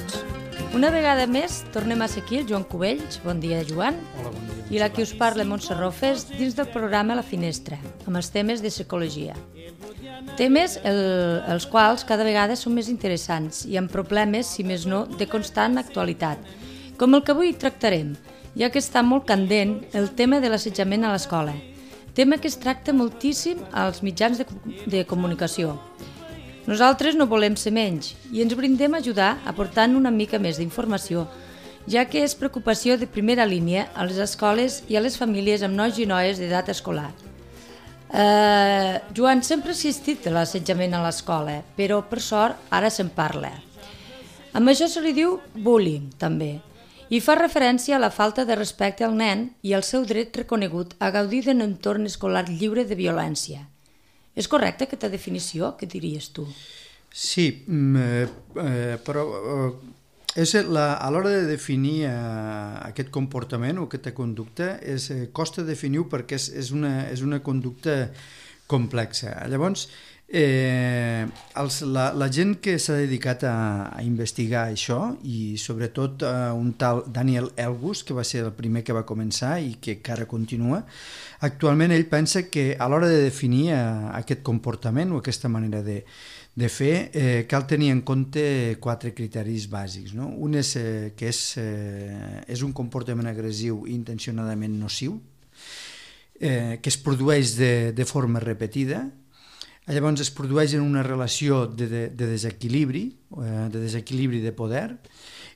tots. Una vegada més tornem a ser aquí, el Joan Cubells. Bon dia, Joan. Hola, bon dia. I la qui us parla, Montse Rofes, dins del programa La Finestra, amb els temes de psicologia. Temes els quals cada vegada són més interessants i amb problemes, si més no, de constant actualitat, com el que avui tractarem, ja que està molt candent el tema de l'assetjament a l'escola, tema que es tracta moltíssim als mitjans de comunicació. Nosaltres no volem ser menys i ens brindem a ajudar aportant una mica més d'informació, ja que és preocupació de primera línia a les escoles i a les famílies amb nois i noies d'edat escolar. Joan, sempre ha existit l'assetjament a l'escola, però per sort ara se'n parla. Amb això se li diu bullying, també, i fa referència a la falta de respecte al nen i al seu dret reconegut a gaudir d'un entorn escolar lliure de violència. És correcta aquesta definició? Què diries tu? Sí, però a l'hora de definir aquest comportament o aquesta conducta costa definir-ho perquè és una conducta complexa. Llavors, la gent que s'ha dedicat a investigar això, i sobretot un tal Daniel Elgus, que va ser el primer que va començar i que encara continua, actualment ell pensa que a l'hora de definir aquest comportament o aquesta manera de fer, cal tenir en compte 4 criteris bàsics. No? Un és que és un comportament agressiu i intencionadament nociu, que es produeix de forma repetida. Llavors es produeix en una relació de desequilibri de poder,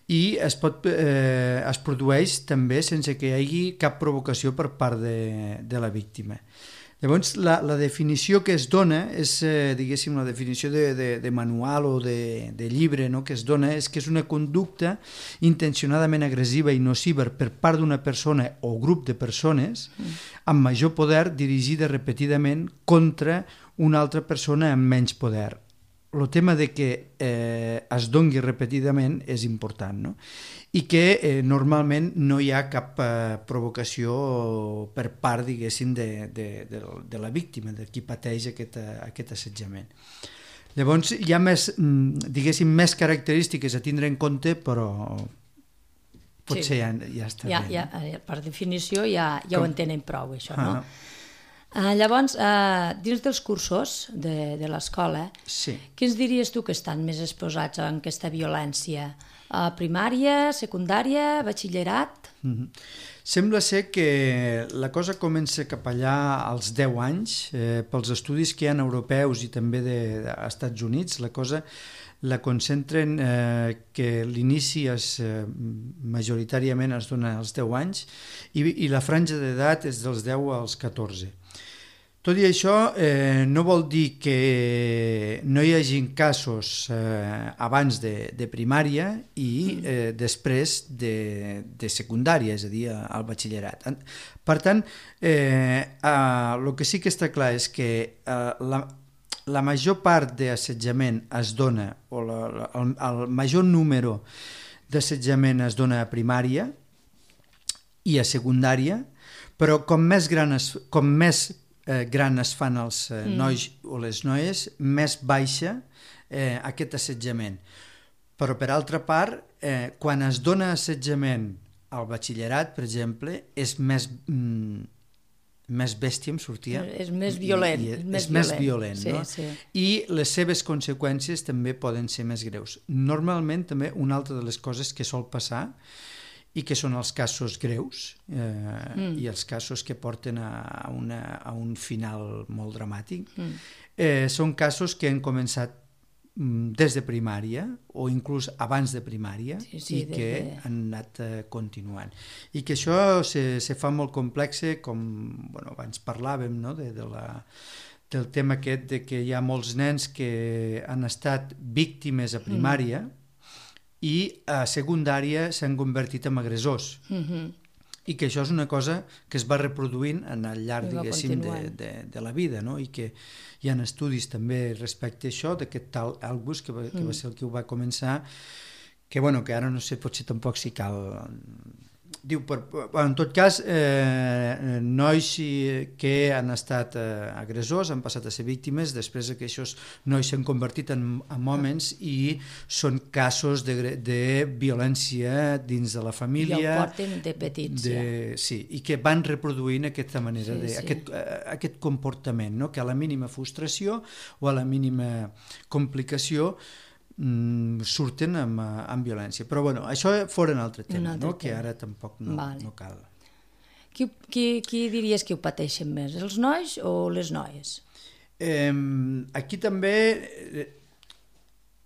i es produeix també sense que hi hagi cap provocació per part de la víctima. Llavors, la definició que es dona és, diguéssim, la definició de manual o de llibre, no?, que es dona és que és una conducta intencionadament agressiva i nociva per part d'una persona o grup de persones amb major poder dirigida repetidament contra una altra persona amb menys poder. El tema de que es doni repetidament és important, no? I que normalment no hi ha cap provocació per part, diguéssim, de la víctima, de qui pateix aquest assetjament. Llavors hi ha més, diguéssim, més característiques a tindre en compte, però potser ja està bé. Per definició ja ho entenen prou, això, no? Llavors, dins dels cursos de l'escola, què ens diries tu que estan més exposats a aquesta violència? Primària, secundària, batxillerat? Sembla ser que la cosa comença cap allà als 10 anys, pels estudis que hi ha europeus i també als Estats Units, la cosa la concentren que l'inici majoritàriament es dona als 10 anys i la franja d'edat és dels 10 als 14. Tot i això, no vol dir que no hi hagi casos abans de primària i després de secundària, és a dir, al batxillerat. Per tant, el que sí que està clar és que la major part d'assetjament es dona, o el major número d'assetjament es dona a primària i a secundària, però com més gran es fan els nois o les noies, més baixa aquest assetjament. Però, per altra part, quan es dona assetjament al batxillerat, per exemple, és més bèstia, em sortia. És més violent. És més violent, no? I les seves conseqüències també poden ser més greus. Normalment, també, una altra de les coses que sol passar i que són els casos greus i els casos que porten a un final molt dramàtic, són casos que han començat des de primària o inclús abans de primària i que han anat continuant. I que això se fa molt complex, com abans parlàvem, no?, del tema aquest de que hi ha molts nens que han estat víctimes a primària i a secundària s'han convertit en agressors. I que això és una cosa que es va reproduint al llarg, diguéssim, de la vida, no? I que hi ha estudis també respecte a això, d'aquest tal Elgus, que va ser el que ho va començar, que ara no sé, potser tampoc si cal Diu, en tot cas, nois que han estat agressors, han passat a ser víctimes, després que aquests nois s'han convertit en hòmens i són casos de violència dins de la família. I ho porten de petits, sí, i que van reproduint aquesta manera, aquest comportament, no? Que a la mínima frustració o a la mínima complicació surten amb violència. Però bueno, això fora un altre tema, no? Que ara tampoc no cal. Qui diries que ho pateixen més, els nois o les noies? Aquí també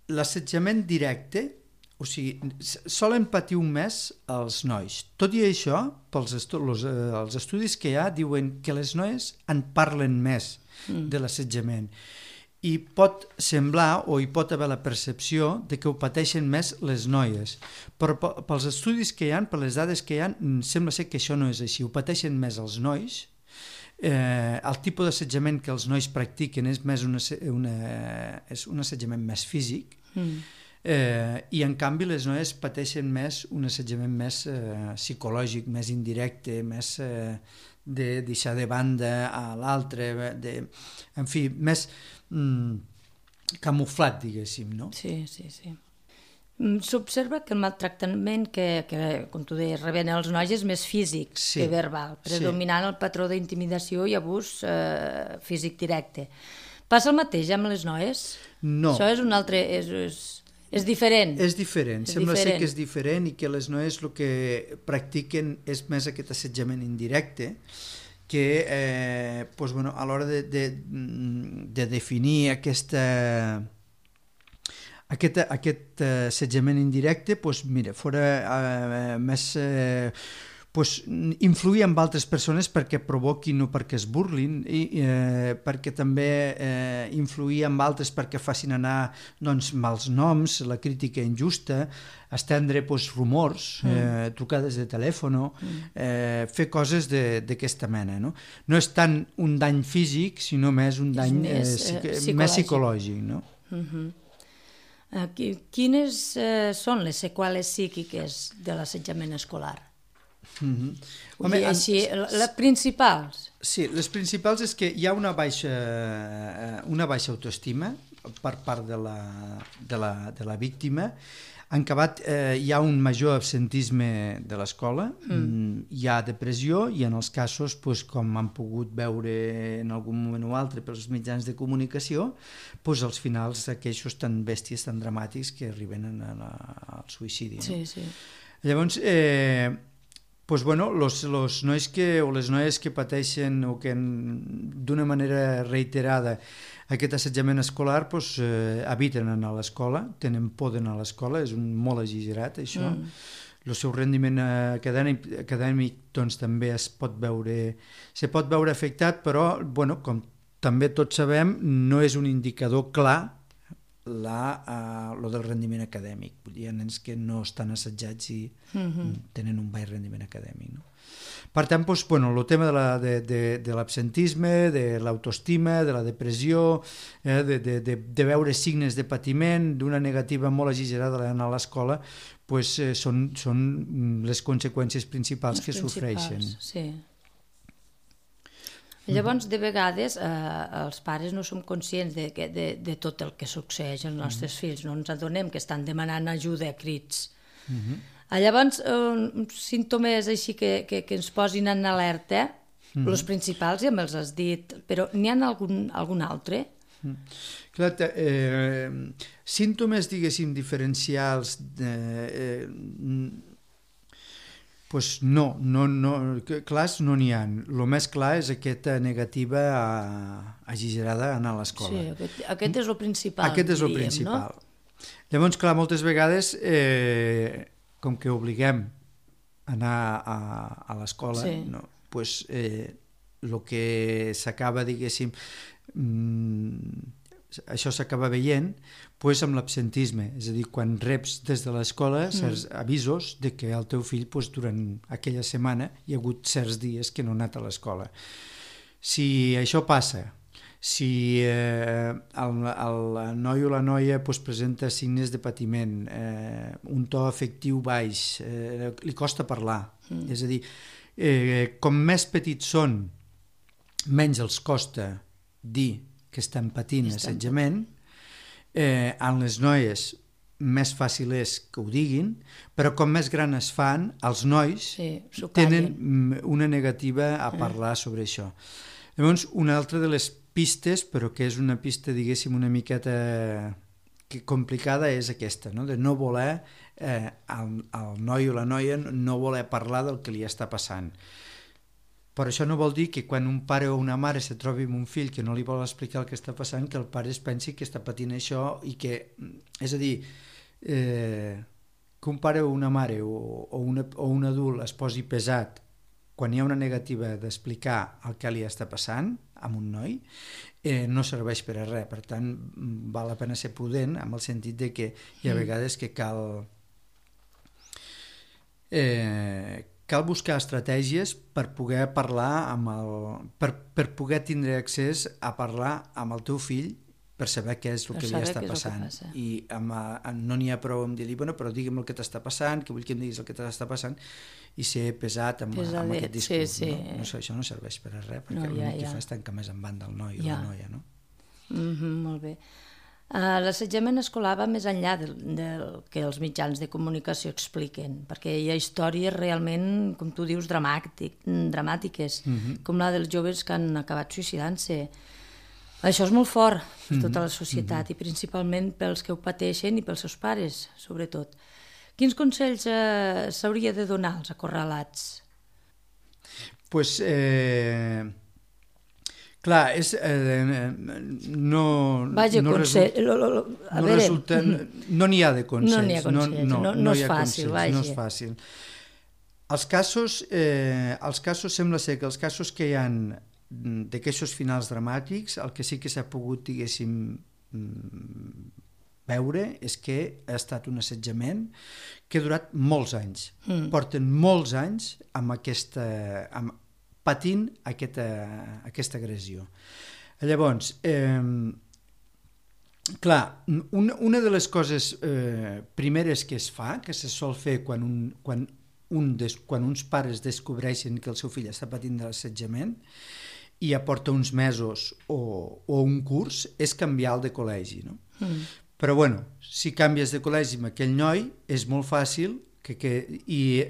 l'assetjament directe, o sigui, solen patir més els nois. Tot i això, els estudis que hi ha diuen que les noies en parlen més de l'assetjament. I pot semblar o hi pot haver la percepció de que ho pateixen més les noies, però pels estudis que hi ha, per les dades que hi ha, sembla ser que això no és així, ho pateixen més els nois. El tipus d'assetjament que els nois practiquen és més un assetjament més físic, i en canvi les noies pateixen més un assetjament més psicològic, més indirecte, més de deixar de banda a l'altre, en fi, més camuflat, diguéssim, no? Sí. S'observa que el maltractament que, com tu deies, reben els nois és més físic que verbal, predominant el patró d'intimidació i abús físic directe. Passa el mateix amb les noies? No. Això és un altre... És diferent? És diferent, sembla ser que és diferent i que les noies el que practiquen és més aquest assetjament indirecte, que a l'hora de definir aquest assetjament indirecte, mira, fora més influir en altres persones perquè provoquin o perquè es burlin, i perquè també influir en altres perquè facin anar mals noms, la crítica injusta, estendre rumors, trucades de telèfon, fer coses d'aquesta mena. No és tant un dany físic, sinó més un dany més psicològic. No? Quines són les seqüeles psíquiques de l'assetjament escolar? Les principals? Sí, les principals és que hi ha una baixa autoestima per part de la víctima. En acabat, hi ha un major absentisme de l'escola, hi ha depressió i en els casos, com han pogut veure en algun moment o altre pels mitjans de comunicació, als finals aquells tan bèsties, tan dramàtics que arriben al suïcidi. Sí. Llavors, los nois o les noies que pateixen o que d'una manera reiterada aquest assetjament escolar eviten anar a l'escola, tenen por d'anar a l'escola, és molt exagerat això. El seu rendiment acadèmic també se pot veure afectat, però com també tots sabem no és un indicador clar lo del rendiment acadèmic. Hi ha nens que no estan assetjats i tenen un baix rendiment acadèmic. Per tant, el tema de l'absentisme, de l'autoestima, de la depressió, de veure signes de patiment, d'una negativa molt exagerada d'anar a l'escola, són les conseqüències principals que sofreixen. Sí. Llavors, de vegades, els pares no som conscients de tot el que succeeix als nostres fills, no ens adonem que estan demanant ajuda a crits. Llavors, símptomes així que ens posin en alerta, els principals ja me'ls has dit, però n'hi ha algun altre? Clar, símptomes, diguéssim, diferencials clars no n'hi ha. El més clar és aquesta negativa exagerada a anar a l'escola. Sí, aquest és el principal. Aquest és el principal. Llavors, clar, moltes vegades, com que obliguem a anar a l'escola, el que s'acaba, diguéssim, això s'acaba veient amb l'absentisme, és a dir, quan reps des de l'escola certs avisos de que el teu fill durant aquella setmana hi ha hagut certs dies que no ha anat a l'escola. Si això passa, si el noi o la noia presenta signes de patiment, un to afectiu baix, li costa parlar, És a dir, com més petits són, menys els costa dir que estan patint assetjament. En les noies més fàcil és que ho diguin, però com més gran es fan, els nois tenen una negativa a parlar sobre això. Llavors, una altra de les pistes, però que és una pista, diguéssim, una miqueta complicada, és aquesta, no? De no voler, el noi o la noia no voler parlar del que li està passant. Però això no vol dir que quan un pare o una mare se trobi amb un fill que no li vol explicar el que està passant, que el pare es pensi que està patint això i que... És a dir, que un pare o una mare o un adult es posi pesat quan hi ha una negativa d'explicar el que li està passant amb un noi, no serveix per a res. Per tant, val la pena ser prudent amb el sentit de que hi ha vegades que cal buscar estratègies per poder parlar per poder tindre accés a parlar amb el teu fill per saber què és el que li està passant. I no n'hi ha prou amb dir-li, bueno, però digue'm el que t'està passant, que vull que em diguis el que t'està passant, i ser pesat amb aquest discurs. No? Això no serveix per a res, perquè l'únic que fa és tancar més en banda el noi o la noia. No? Molt bé. L'assetjament escolar va més enllà del que els mitjans de comunicació expliquen, perquè hi ha històries realment, com tu dius, dramàtiques, com la dels joves que han acabat suïcidant-se. Això és molt fort per tota la societat i principalment pels que ho pateixen i pels seus pares, sobretot. Quins consells s'hauria de donar als acorralats? Doncs, clar, no n'hi ha de consells. No és fàcil, vaja. No és fàcil. Els casos sembla ser que els casos que hi ha d'aquests finals dramàtics, el que sí que s'ha pogut, diguéssim, veure és que ha estat un assetjament que ha durat molts anys. Porten molts anys patint aquesta agressió. Llavors, clar, una de les coses primeres que es fa, que se sol fer quan uns pares descobreixen que el seu fill està patint de l'assetjament i ja porta uns mesos o un curs, és canviar el de col·legi, no? Però bueno, si canvies de col·legi amb aquell noi és molt fàcil i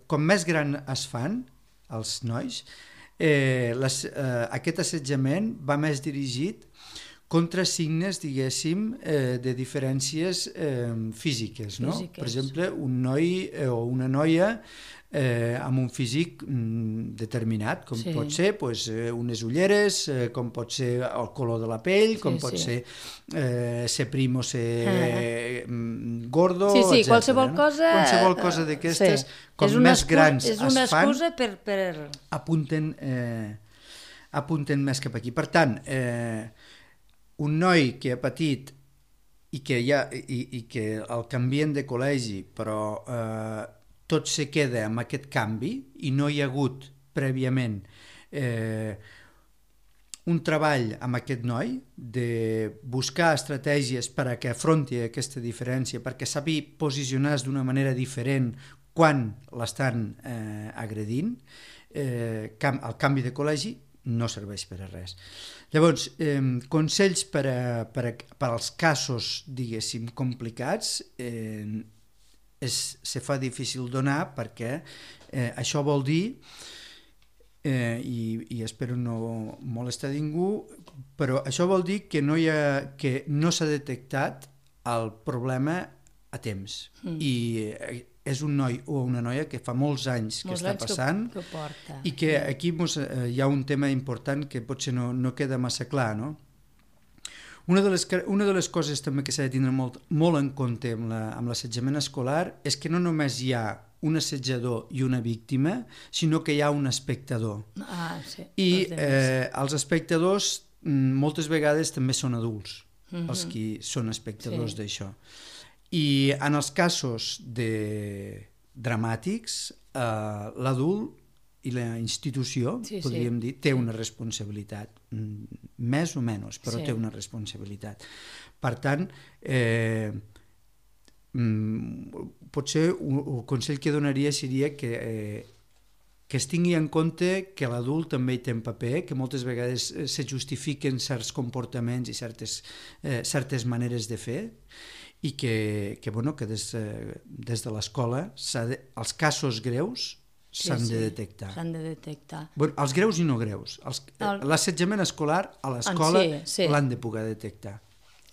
com més gran es fan els nois, aquest assetjament va més dirigit contra signes, diguéssim, de diferències físiques, no? Per exemple, un noi o una noia amb un físic determinat, com pot ser unes ulleres, com pot ser el color de la pell, com pot ser ser prim o ser gordo, etc. Qualsevol cosa d'aquestes, com més grans es fan, és una excusa per... apunten més cap aquí. Per tant, un noi que ha patit i que el canvien de col·legi, però tot se queda amb aquest canvi i no hi ha hagut prèviament un treball amb aquest noi de buscar estratègies per a que afronti aquesta diferència, perquè sabi posicionar-se d'una manera diferent quan l'estan agredint, el canvi de col·legi no serveix per a res. Llavors, consells per als casos, diguéssim, complicats, se fa difícil donar perquè això vol dir, i espero no molestar ningú, però això vol dir que no s'ha detectat el problema a temps. I és un noi o una noia que fa molts anys que està passant i que aquí hi ha un tema important que potser no queda massa clar, no? Una de les coses també que s'ha de tindre molt en compte amb l'assetjament escolar és que no només hi ha un assetjador i una víctima, sinó que hi ha un espectador. I els espectadors moltes vegades també són adults, els qui són espectadors d'això. I en els casos dramàtics, l'adult i la institució, podríem dir, té una responsabilitat, més o menys, però té una responsabilitat. Per tant, potser el consell que donaria seria que que es tingui en compte que l'adult també hi té un paper, que moltes vegades se justifiquen certs comportaments i certes maneres de fer, i que des de l'escola els casos greus s'han de detectar. S'han de detectar. Els greus i no greus. L'assetjament escolar a l'escola l'han de poder detectar.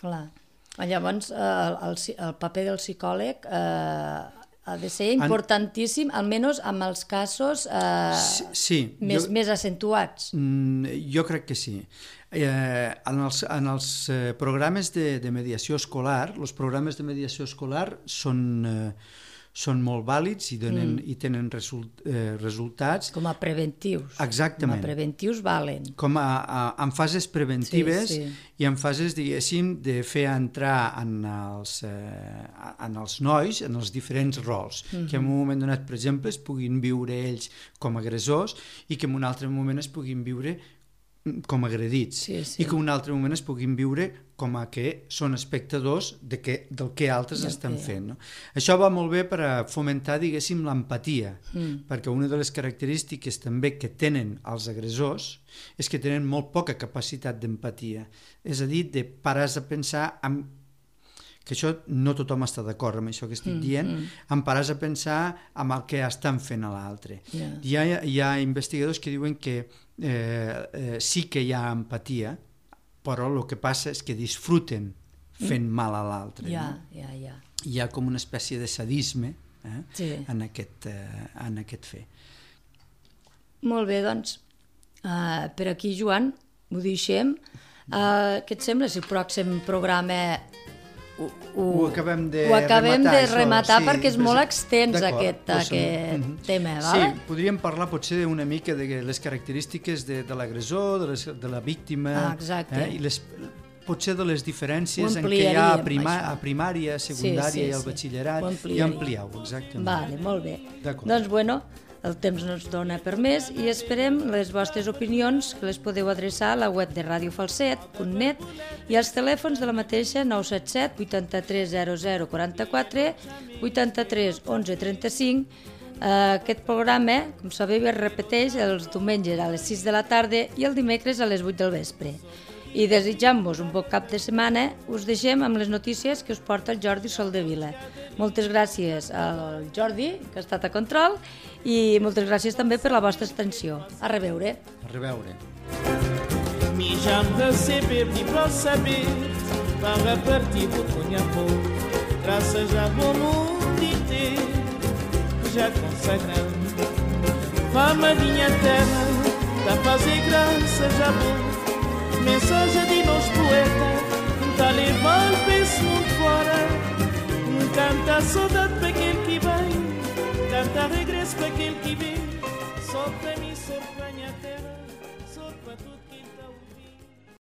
Clar. Llavors, el paper del psicòleg ha de ser importantíssim, almenys amb els casos més accentuats. Jo crec que sí. En els programes de mediació escolar, els programes de mediació escolar són molt vàlids i tenen resultats. Com a preventius. Exactament. Com a preventius valen. Com en fases preventives i en fases, diguéssim, de fer entrar en els nois, en els diferents rols, que en un moment donat, per exemple, es puguin viure ells com a agressors i que en un altre moment es puguin viure com agredits i que en un altre moment es puguin viure com a que són espectadors del que altres estan fent. No? Això va molt bé per a fomentar, diguéssim, l'empatia, perquè una de les característiques també que tenen els agressors és que tenen molt poca capacitat d'empatia. És a dir, de parar a pensar que això no tothom està d'acord amb això que estic dient, em pares a pensar en el que estan fent a l'altre. Hi ha investigadors que diuen que sí que hi ha empatia, però el que passa és que disfruten fent mal a l'altre. Hi ha com una espècie de sadisme en aquest fer. Molt bé, doncs, per aquí, Joan, ho deixem. Què et sembla si el pròxim programa ho acabem de rematar perquè és molt extens aquest tema. Sí, podríem parlar potser una mica de les característiques de l'agressor, de la víctima, i potser de les diferències en què hi ha a primària, secundària i al batxillerat, i ampliar-ho, exactament. Vale, molt bé. Doncs, bueno, el temps no ens dona per més i esperem les vostres opinions, que les podeu adreçar a la web de radiofalset.net i als telèfons de la mateixa 977 83 00 44, 83 11 35. Aquest programa, com sabeu, es repeteix els diumenges a les 6 de la tarda i el dimecres a les 8 del vespre. I desitjant-vos un bon cap de setmana, us deixem amb les notícies que us porta el Jordi Soldevila. Moltes gràcies al Jordi, que ha estat a control, i moltes gràcies també per la vostra atenció. A reveure. A reveure. Mi já me receber-me para saber, para partir do Cunhapô, graças a bom mundo inteiro, já consagrando. Fama minha terra, da fazer graça já bom. Mensagem de nós poetas, tá levando esse mundo fora. Canta saudade para aquele que vem, canta regresso para aquele que vem. Só para mim, só para minha terra, só para tudo que está